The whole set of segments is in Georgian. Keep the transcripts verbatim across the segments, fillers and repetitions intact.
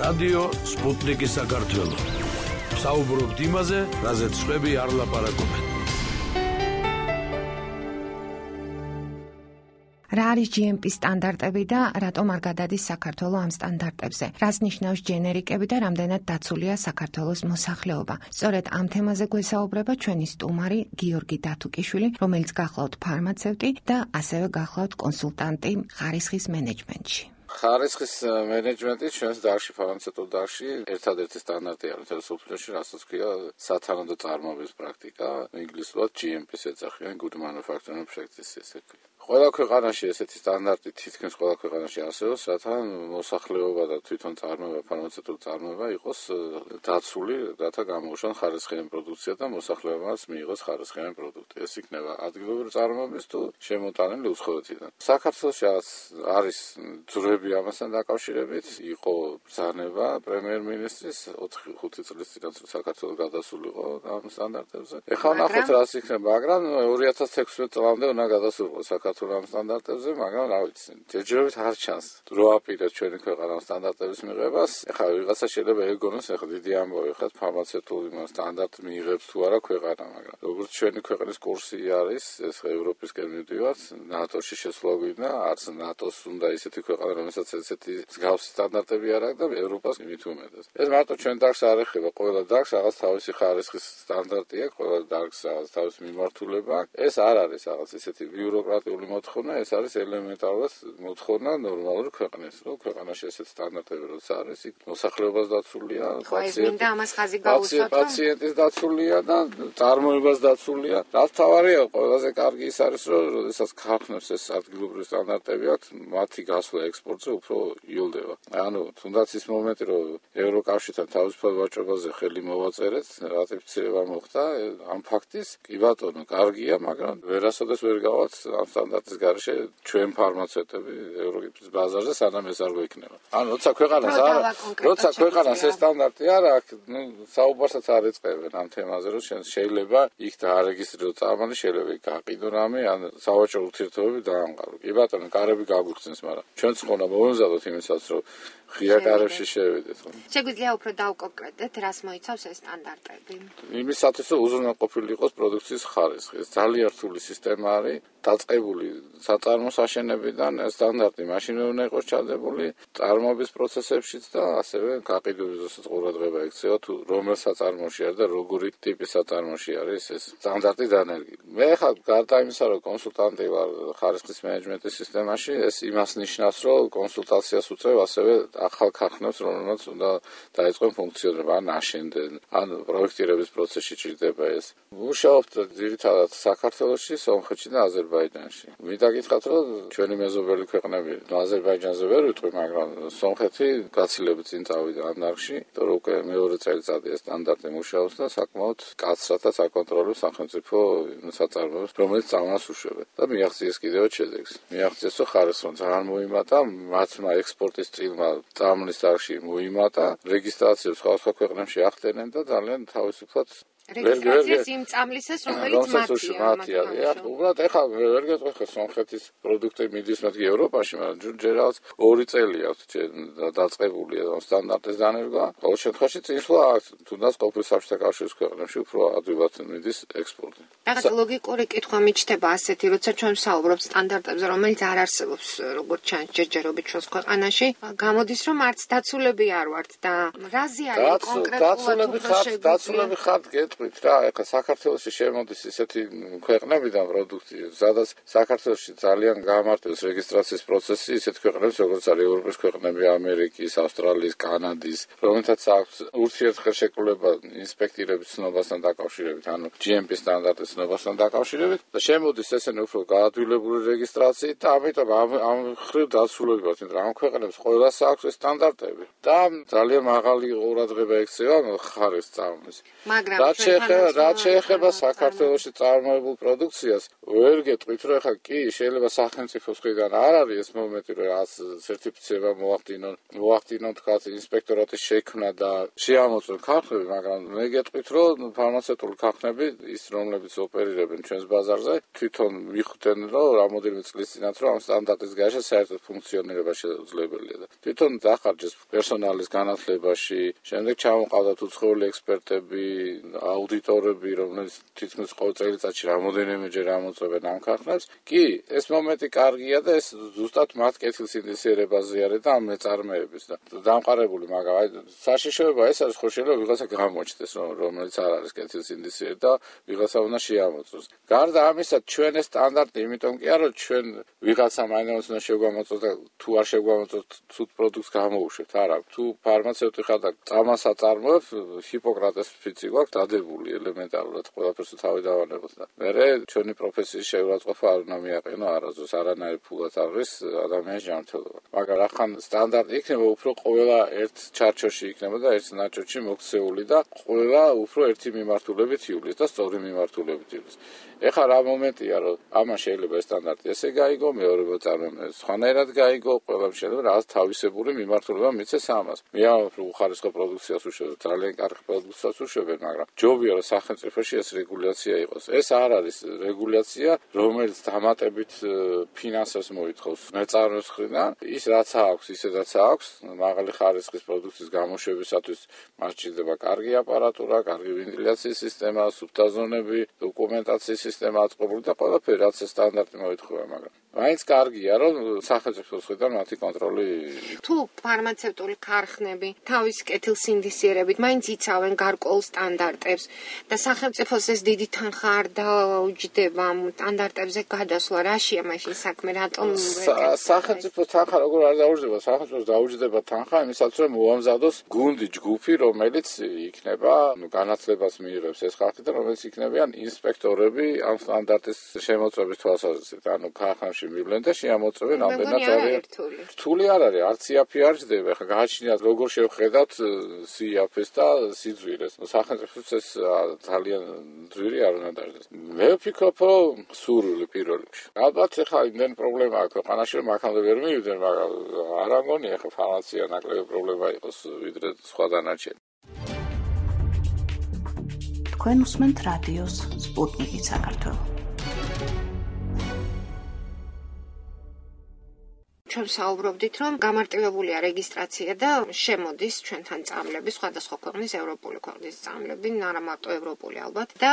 რადიო სპუტნიკი საქართველო. საუბრობთ იმაზე, რაზეც სხვები არ ლაპარაკობენ. რა არის ჯი ემ პი სტანდარტები და რატომ არ გადადის საქართველო ამ სტანდარტებზე? რას ნიშნავს ჯენერიკები და რამდენად დაცულია საქართველოს მოსახლეობა? სწორედ ამ თემაზე გვესაუბრება ჩვენი სტუმარი გიორგი დათუკიშვილი, რომელიც გახლავთ ფარმაცევტი და ასევე გახლავთ კონსულტანტი ხარისხის მენეჯმენტში. ხარისხის მენეჯმენტი ჩვენს დარგში, ფარმაცევტულ დარგში, ერთადერთი სტანდარტი არის მსოფლიოში, რასაც ქვია სათანადო წარმოების პრაქტიკა, ინგლისურად ჯი ემ პი-ს ეძახიან, Good Manufacturing Practice ესე ქვია. ყველა ქვეყანაში ესეთი სტანდარტი თითქმის ყველა ქვეყანაში არსებობს, რათა მოსახლეობა და თვითონ წარმოება, ფარმაცევტული წარმოება იყოს დაცული, რათა გამოუშვან ხარისხიანი პროდუქცია და მოსახლეობას მიიღოს ხარისხიანი პროდუქტი. ეს იქნება ადგილობრივი წარმოების თუ შემოტანილი უცხოეთიდან. საქართველოში არის ძროები ამასთან დაკავშირებით, იყო ბრძანება პრემიერ-მინისტრის ოთხი ხუთი წლის წინათ საქართველოს გადასულიყო ამ სტანდარტებზე. ეხლა ნახოთ რას იქნება, მაგრამ ორი ათას თექვსმეტ წლამდე უნდა გადასულიყო საქართველოს ამ სტანდარტებზე, მაგრამ რა ვიცი, ჯერჯერობით არ ჩანს. დრო აპირებს ჩვენი ქვეყანამ სტანდარტების მიღებას. ეხლა ვიღაცა შეიძლება ეგონოს, ეხლა დიდი ამბავი ხარ ფარმაცევტული სტანდარტ მიიღებს თუ არა ქვეყანა, მაგრამ როგორც ჩვენი ქვეყნის კურსი არის, ეს ევროპისკენ მივდივართ, ნატოში შესვლა გვინდა, არც ნატოს უნდა ისეთი ქვეყანა, რომელსაც ესეთი მსგავსი სტანდარტები არ აქვს და ევროპას მით უმეტეს. ეს მარტო ჩვენ დარგს არ ეხება, ყველა დარგს რაღაც თავისი ხარისხის სტანდარტი აქვს, ყველა დარგს რაღაც თავისი მიმართულება აქვს. ეს არ არის რაღაც ესეთი ბიუროკრატიული მოთხოვნა, ეს არის ელემენტარულად მოთხოვნა ნორმალური ქვეყნის, რომ ქვეყანაში ესეთ სტანდარტები როც არის, იქ მოსახლეობას დაცულია, პაციენტის დაცულია და წარმოებას დაცულია. რაც თავარია, ყველაზე კარგი ის არის, რომ როდესაც ქარხნებს ეს ადგილობრივი სტანდარტები აქვს, მათი გასვლა ექსპორტზე უფრო იოლდება. ანუ თუნდაც ის მომენტი, რომ ევროკავშირთან თავისუფალ ვაჭრობაზე ხელი მოვაწერეთ, რატიფიცირება მოხდა ამ ფაქტის, კი ბატონო, კარგია, მაგრამ ვერასოდეს ვერ გავალთ ამ სტანდარტის გარეშე ჩვენ ფარმაცევტები ევროპის ბაზარზე სანამ ეს არ გვექნება. ანუ როცა ქვეყანას არ როცა ქვეყანას ეს სტანდარტი არ აქვს, ნუ საუბარსაც არ ეწყებენ ამ თემაზე, რომ შეიძლება იქ დაარეგისტრიროს წარმომადგენელი, შეიძლება იქ გაყიდონ რამე, ან სავაჭრო ურთიერთობები დაამყარო. კი ბატონო, კარები გაგვიხსენს, მაგრამ ჩვენც ხონა მოვემზადოთ იმისაც, რომ ღია კარებში შევიდეთ. შეგვიძლია უფრო დავკონკრეტდეთ, რას მოიცავს ეს სტანდარტები? იმისათვის, რომ უზრუნველყოფილი იყოს პროდუქციის ხარისხი. ეს ძალიან რთული სისტემა არის, დაწყებული საწარმოს აშენებიდან სტანდარტი მაშინვე უნდა იყოს ჩადებული წარმოების პროცესებშიც და ასევე გაყიდვის ზუსტ ყურადღება ექცევა თუ რომელ საწარმოში არის და როგორი ტიპის საწარმოში არის ეს სტანდარტი დანერგილი. მე ხა გარდა იმისა, რომ კონსულტანტი ვარ ხარისხის მენეჯმენტის სისტემაში, ეს იმას ნიშნავს, რომ კონსულტაციას უწევ ასევე ახალ ქარხნებს, რომელსაც უნდა დაიწყონ ფუნქციონირება, ან აშენდნენ, ან პროექტირების პროცესში ჭირდება ეს. მუშაობთ ძირითადად საქართველოში, სომხეთში და აზერბაიჯანში. მინდა გითხრათ, რომ ჩვენი მეზობელი ქვეყნები, აზერბაიჯანზე ვერ ვიტყვი, მაგრამ სომხეთი გაცილებით წინ წავიდა ამ დარგში, იმიტომ რომ უკვე მეორე წელიწადი ეს სტანდარტი მუშაობს და საკმაოდ კაცრად და საკონტროლებს სახელმწიფო საწარმოებს, რომელიც წამლას უშვებენ. და მიაღწიეს კიდევ შედეგს. მიაღწიეს, რომ ხარისხმა ძალიან მოიმატა, მათმა ექსპორტის წილმა წამლის დარგში მოიმატა, რეგისტრაციებს სხვადასხვა ქვეყნებში ახდენენ და ძალიან თავისუფლად რეგისტრაციის იმ წამლისას, რომელიც მათია. უბრალოდ ეხლა ვერ გეტყვი ხო სომხეთის პროდუქტი მიდის მათი ევროპაში, მაგრამ ჯერ რაღაც ორი წელი აქვს დაწყებული სტანდარტის დანერგვა. ყოველ შემთხვევაში წინსვლა აქვს, თუნდაც ყოფილ საბჭოთა კავშირის ქვეყნებში უფრო ადვილად მიდის ექსპორტი. რაღაც ლოგიკური კითხვა მიჩნდება ასეთი, როცა ჩვენ ვსაუბრობთ სტანდარტებზე, რომელიც არ არსებობს, როგორც ჩანს ჯერჯერობით ჩვენს ქვეყანაში, გამოდის, რომ არც დაცულები არ ვართ და რაზე არის კონკრეტულად დაცულები ხართ გეტყვით რა, ეხლა საქართველოში შემოდის ისეთი ქვეყნებიდან პროდუქტი, სადაც საქართველოში ძალიან გამარტივს რეგისტრაციის პროცესი, ისეთ ქვეყნებს, როგორც არის ევროპის ქვეყნები, ამერიკის, ავსტრალიის, კანადის, რომელთაც აქვს ურთიერთშეკრულება ინსპექტირების ცნობასთან დაკავშირებით, ანუ ჯი ემ პი სტანდარტის ცნობასთან დაკავშირებით და შემოდის ესენი უფრო გაადვილებული რეგისტრაციით და ამიტომ ამ ხრივ დაცულები ვართ, იმიტომ რომ ამ ქვეყნებს ყველას აქვს ეს სტანდარტები და ძალიან მაღალი ყურადღება ექცევა ხარისხის წამლის. მაგრამ რაც შეეხება საქართველოში წარმოებულ პროდუქციას, ვერ გეტყვით რომ ეხლა კი შეიძლება სახელმწიფოს მხრიდან არ არის ეს მომენტი რომ რაც სერტიფიცირება მოახდინონ მოახდინონ თქვა ინსპექტორატის შექმნა და შეამოწმონ ქარხნები, მაგრამ მე გეტყვით რომ ფარმაცევტული ქარხნები ის რომლებიც ოპერირებენ ჩვენს ბაზარზე თვითონ მიხვდნენ რომ რამოდენიმე წლის წინათ რომ ამ სტანდარტის გარეშე საერთოდ ფუნქციონირება შეუძლებელია და თვითონ დახარჯეს პერსონალის განათლებაში, შემდეგ ჩამოყავდათ უცხოელი ექსპერტები, აუდიტორები, რომლებიც თითქმის ყოველ წელიწადში რამოდენიმეჯერ ამოწმებენ ამ ქარხნებს. კი, ეს მომენტი კარგია და ეს ზუსტად მათ კეთილსინდისიერებაზე არის და ამ მეწარმეების და დამყარებული, მაგრამ აი საშიშროება ეს არის, ხო შეიძლება ვიღაცა გამოჩნდეს, რომელიც არ არის კეთილსინდისიერი და ვიღაცა უნდა შეამოწმოს. გარდა ამისა, ჩვენ ეს სტანდარტი იმიტომ კი არა, რომ ჩვენ ვიღაცა მაინც უნდა შეგვამოწმოს და თუ არ შეგვამოწმოს ცუდ პროდუქტს გამოუშვებთ. არა, თუ ფარმაცევტი ხარ და წამას აწარმოებ, ჰიპოკრატეს ფიცი გვაქვს დადებული ელემენტარულად ყველაფერს თავი დავანებოთ და მერე ჩვენი პროფესიის შეურაცხყოფა არ უნდა მიაყენო არასდროს არანაირ ფულად არის ადამიანის ჯანმრთელობა. მაგრამ ახან სტანდარტი იქნება უფრო ყველა ერთ ჩარჩოში იქნება და ერთ ნაჭრში მოქცეული და ყველა უფრო ერთი მიმართულებით იulis და სწორი მიმართულებით იulis. ეხლა რა მომენტია რომ ამან შეიძლება ეს სტანდარტი ესე გაიგო, მეორე მოწარმეებს სხვანაირად გაიგო, ყველამ შეიძლება რაღაც თავისებური მიმართულება მიცეს ამას. მე ამ უხარისხო პროდუქციას უშვებ, ძალიან კარგი პროდუქციას უშვებენ, მაგრამ ჯობია რომ სახელმწიფოში ეს რეგულაცია იყოს. ეს არ არის რეგულაცია, რომელიც დამატებით ფინანსებს მოითხოვს მეწარმეებს მხრიდან. ის რაც აქვს, ისედაც აქვს, მაღალი ხარისხის პროდუქციის გამოშვებისათვის მას ჭირდება კარგი აპარატურა, კარგი ვენტილაციის სისტემა, სუფთაზონები, დოკუმენტაციის სისტემა აწყობილი და ყველაფერი რაც ეს სტანდარტი მოითხოვა, მაგრამ მაინც კარგია რომ სახელმწიფოს მხრიდან მათი კონტროლი. თუ ფარმაცევტული ქარხნები თავის კეთილსინდისიერებით მაინც იცავენ გარკვეულ სტანდარტებს და სახელმწიფოს ეს დიდი თანხა არ დაუჯდება სტანდარტებზე გადასვლა, რაშია მაშინ საქმე, რატომ სახელმწიფოს თანხა როგორ არ დაუჯდება? სახელმწიფოს დაუჯდება თანხა იმისათვის რომ მოამზადოს გუნდი, ჯგუფი, რომელიც იქნება განათლებას მიიღებს ეს ხალხი და რომელიც იქნებიან ინსპექტორები ამ სტანდარტის შემოწმების თვალსაზრისით. ანუ ქარხნებში მივლენ და შეამოწმებენ ამდენად არის რთული არ არის, არც იაფი არ ჯდება. ხა გააჩნიათ როგორ შევხედათ სიაფეს და სიძვირეს. სახელმწიფოს ეს ძალიან ძვირი არ უნდა დაждდეს. მე ვფიქრობ, რომ სურვილი პირველ რიგში. ალბათ ეხლა იმდენ პრობლემა აქვს ქვეყანაში, რომ აქამდე ვერ მივიდნენ, მაგრამ არ ამგონია ეხლა ფარმაცია ნაკლები პრობლემა იყოს ვიდრე სხვა დანარჩენი. თქვენ უსმენთ რადიოს სპუტნიკი საქართველო. ჩვენ საუბრობდით, რომ გამარტივებულია რეგისტრაცია და შემოდის ჩვენთან წამლები, სხვადასხვა ქვეყნის ევროპული ქვეყნის წამლები, არა მარტო ევროპული ალბათ და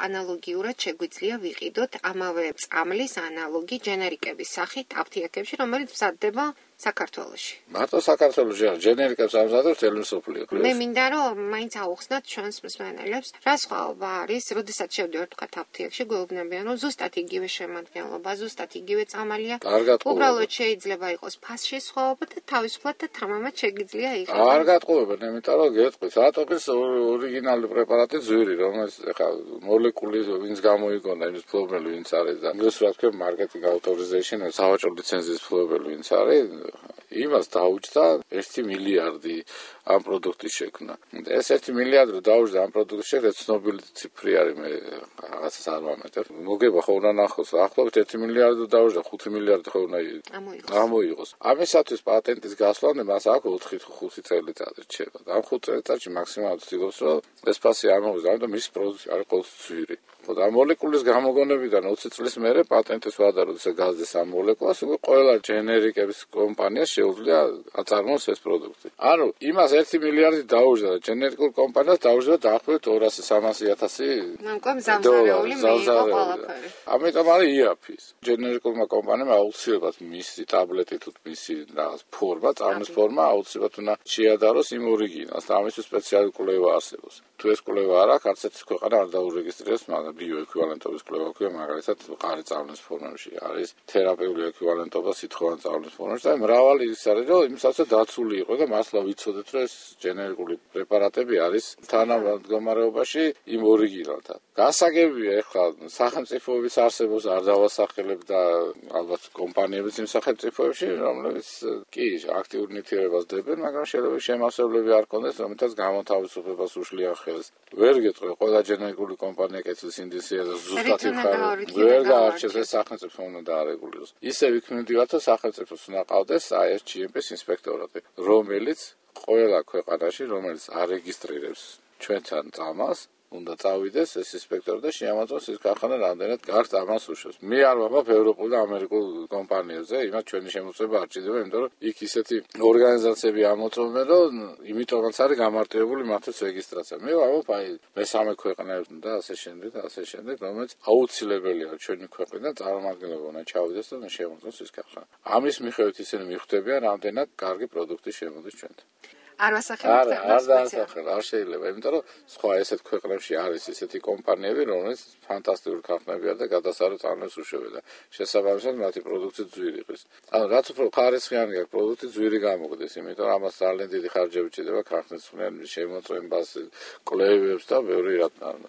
ანალოგიურად შეგვიძლია ვიყიდოთ ამავე წამლის ანალოგი ჯენერიკების სახით აფთიაქებში, რომელიც მზადდება საქართველოში. მარტო საქართველოში არ ჯენერიკებს ამზადებს მთელი მსოფლიო. მე მინდა რომ მაინც აუხსნათ ჩვენს მსმენელებს, რა სხვაობა არის, როდესაც შევდივართ თქვა აფთიაქში, გვეუბნებიან, რომ ზუსტად იგივე შემადგენლობა, ზუსტად იგივე წამალია. უბრალოდ შეიძლება იყოს ფასში სხვაობა და თავისუფლად და თამამად შეგიძლია იყოს. არ გატყუებენ, იმიტომ რომ გეტყვით, რატოღის ორიგინალური პრეპარატი ძვირი, რომელიც ეხლა მოლეკული ვინც გამოიგონა, იმის ფლობელი ვინც არის და ინგლისურად ქვია marketing authorization, სავაჭრო ლიცენზიის ფლობელი ვინც არის, იმას დაუჯდა ერთი მილიარდი ამ პროდუქტის შექმნა. ეს ერთი მილიარდი რო დაუჯდა ამ პროდუქტის შექმნა, ცნობილი ციფრი არის, მე რაღაცას არ ვამატებ. მოგება ხო უნდა ნახოს, ახლობით ერთი მილიარდი დაუჯდა, ხუთი მილიარდი ხო უნდა გამოიღოს. ამისათვის პატენტის გასვლა მას აქვს ოთხი ხუთი წელიწადი რჩება. ამ ხუთ წელიწადში მაქსიმალურად ვცდილობს, რომ ეს ფასი არ მოვიდა, ამიტომ მის პროდუქტი არის ყოველთვის ძვირი. ხო და მოლეკულის გამოგონებიდან ოცი წლის მერე პატენტის ვადა, როდესაც გაზდეს ამ მოლეკულას, უკვე ყველა ჯენერიკების კომპანიას შეუძლია აწარმოოს ეს პროდუქტი. ანუ იმას ერთი მილიარდი დაუჯდა და ჯენერიკულ კომპანიას დაუჯდა დაახლოებით ორასი სამასი ათასი დოლარი. ამიტომ არის იაფის. ჯენერიკულმა კომპანიამ აუცილებლად მისი ტაბლეტი თუ მისი რაღაც ფორმა, წამლის ფორმა აუცილებლად უნდა შეადაროს იმ ორიგინალს და ამისთვის სპეციალური კვლევა არსებობს. თუ ეს კვლევა არ აქვს, არც ერთი ქვეყანა არ დაურეგისტრირებს, მაგრამ ბიოეკვივალენტობის კვლევა ქვია, მაგალითად, ყარი წამლის ფორმებში არის თერაპიული ეკვივალენტობა სითხოვანი წამლის ფორმებში და მრავალი ის არის, რომ იმისათვის დაცული იყო და მართლა ვიცოდეთ, რომ ეს ჯენერიკული პრეპარატები არის თანამდგომარეობაში იმ ორიგინალთან. გასაგებია, ეხლა სახელმწიფოების არსებობს არ დავასახელებ და ალბათ კომპანიებიც იმ სახელმწიფოებში, რომლებიც კი აქტიურ ნივთიერებას დებენ, მაგრამ შეიძლება შემავსებლები არ ქონდეს, რომელთაც გამოთავისუფლებას უშლიან საკითხებს ვერ გეტყვი, ყველა ჯენერალური კომპანია კეთილს ინდუსტრია და ზუსტად იხარ ვერ გაარჩევს ეს სახელმწიფო უნდა დაარეგულიროს. ისე ვიქმნებდივართ, რომ სახელმწიფოს უნდა ყავდეს აი ეს ჯი ემ პის ინსპექტორატი, რომელიც ყველა ქვეყანაში, რომელიც არეგისტრირებს ჩვენთან წამალს, უნდა წავიდეს ეს ინსპექტორი და შეამოწმოს ეს ქარხანა რამდენად გარს ამას უშვებს. მე არ ვამბობ ევროპულ და ამერიკულ კომპანიებზე, იმათ ჩვენი შემოწმება არ ჭირდება, იმიტომ რომ იქ ისეთი ორგანიზაციები ამოწმობენ, რომ იმიტომაც არის გამარტივებული მათთვის რეგისტრაცია. მე ვამბობ აი მესამე ქვეყნებთან და ასე შემდეგ და ასე შემდეგ, რომელიც აუცილებელია ჩვენი ქვეყნიდან წარმომადგენლობა უნდა ჩავიდეს და შემოწმოს ეს ქარხანა. ამის მიხედვით ისინი მიხვდებიან, რამდენად კარგი პროდუქტი შემოდის ჩვენთან. არ ვასახელებთ არ არ დაასახელ, არ შეიძლება, იმიტომ რომ სხვა ესეთ ქვეყნებში არის ესეთი კომპანიები, რომელიც ფანტასტიკური ქარხნებია და გადასარევ წარმოებს უშვებენ და შესაბამისად მათი პროდუქცია ძვირი იყოს. ანუ რაც უფრო ხარისხიანი აქვს პროდუქტი ძვირი გამოგდეს, იმიტომ რომ ამას ძალიან დიდი ხარჯები ჭირდება ქარხნის შემოწმებას, კვლევებს და ბევრი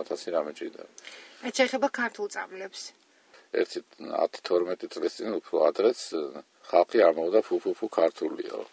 ათასი რამე ჭირდება. რაც შეეხება ქართულ წაბლებს. ერთი ათი თორმეტი წლის წინ უფრო ადრეც ხალხი ამბობდა ფუფუფუ ქართულია.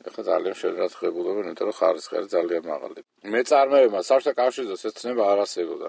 ეხლა ძალიან შეერად ხებულობენ, იმიტომ რომ ხარისხი არის ძალიან მაღალი. მეწარმეებმა საბჭოთა კავშირზეც ეს ცნება არ არსებობდა.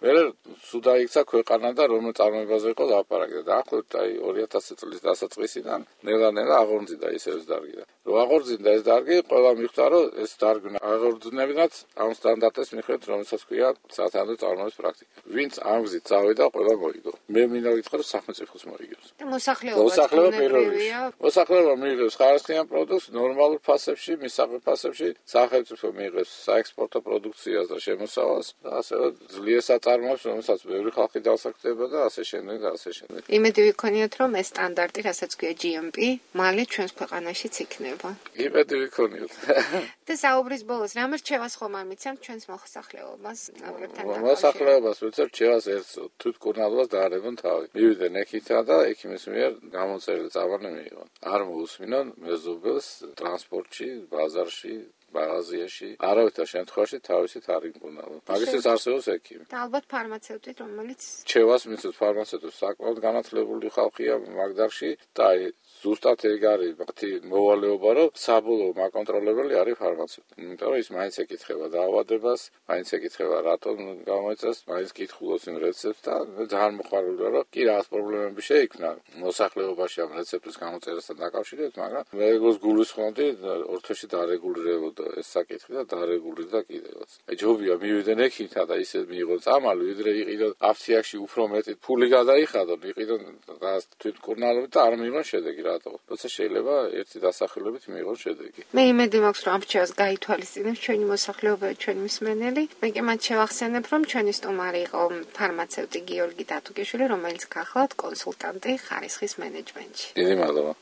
მერე სულ დაიქცა ქვეყანა და რომელ წარმოებაზე იყო ლაპარაკი და დაახლოებით აი ორი ათასი წლის დასაწყისიდან ნელა-ნელა აღორძინდა ისე ეს დარგი და რო აღორძინდა ეს დარგი, ყველა მიხვდა რომ ეს დარგი აღორძინებინათ ამ სტანდარტის მიხედვით, რომელსაც ქვია სათანადო წარმოების პრაქტიკა. ვინც ამ გზით წავიდა, ყველა მოიგო. მე მინდა ვიტყვი რომ სახელმწიფოს მოიგებს. და მოსახლეობა მოსახლეობა პირველია. მოსახლეობა მიიღებს ხარისხიან პროდუქტს ნორმალურ ფასებში, მისაღებ ფასებში, სახელმწიფო მიიღებს საექსპორტო პროდუქციას და შემოსავალს და ასევე ძლიერ წარმოებს, რომელსაც ბევრი ხალხი დასაქმდება და ასე შემდეგ და ასე შემდეგ. იმედი ვიქონიოთ, რომ ეს სტანდარტი, რასაც ქვია ჯი ემ პი, მალე ჩვენს ქვეყანაშიც იქნება. იმედი ვიქონიოთ. და საუბრის ბოლოს, რა რჩევას ხომ ამიცემთ ჩვენს მოსახლეობას, ნაბლებთან დაკავშირებით? მოსახლეობას ვეცებ რჩევას ერთს, თვითმკურნალობას დაარებონ თავი. მივიდნენ ექითა და ექიმის მიერ გამოწერილი წამალი მიიღონ. არ მოусმინონ მეზობელს ტრანსპორტში, ბაზარში, მაღაზიაში, არავითარ შემთხვევაში თავისით არ იმკურნალონ. მაგისთვის არსებობს ექიმი. და ალბათ ფარმაცევტი, რომელიც რჩევას მისცემს ფარმაცევტებს, საკმაოდ განათლებული ხალხია მაგდარში და აი ზუსტად ეგ არის მათი მოვალეობა, რომ საბოლოო მაკონტროლებელი არის ფარმაცევტი. იმიტომ რომ ის მაინც ეკითხება დაავადებას, მაინც ეკითხება რატომ გამოიწეს, მაინც კითხულობს იმ რეცეპტს და ძალიან მოხარულია, რომ კი რაღაც პრობლემები შეიქმნა მოსახლეობაში ამ რეცეპტის გამოწერასთან დაკავშირებით, მაგრამ მე როგორც გულისხმობდი, ორ თვეში დარეგულირებოდა ეს საკითხი და დარეგულირდა კიდევაც. აი ჯობია მივიდნენ ექიმთა და ისე მიიღონ წამალი, ვიდრე იყიდონ აფთიაქში უფრო მეტი ფული გადაიხადონ, იყიდონ თვითმკურნალობით და არ მიიღონ შედეგი. როცა შეიძლება ერთი დასახელებით მიიღოს შედეგი. მე იმედი მაქვს, რომ ამ რჩევას გაითვალისწინებს ჩვენი მოსახლეობა, ჩვენი მსმენელი. მე კი მათ შევახსენებ, რომ ჩვენი სტუმარი იყო ფარმაცევტი გიორგი დათუგიშვილი, რომელიც გახლავთ კონსულტანტი ხარისხის მენეჯმენტში. დიდი მადლობა.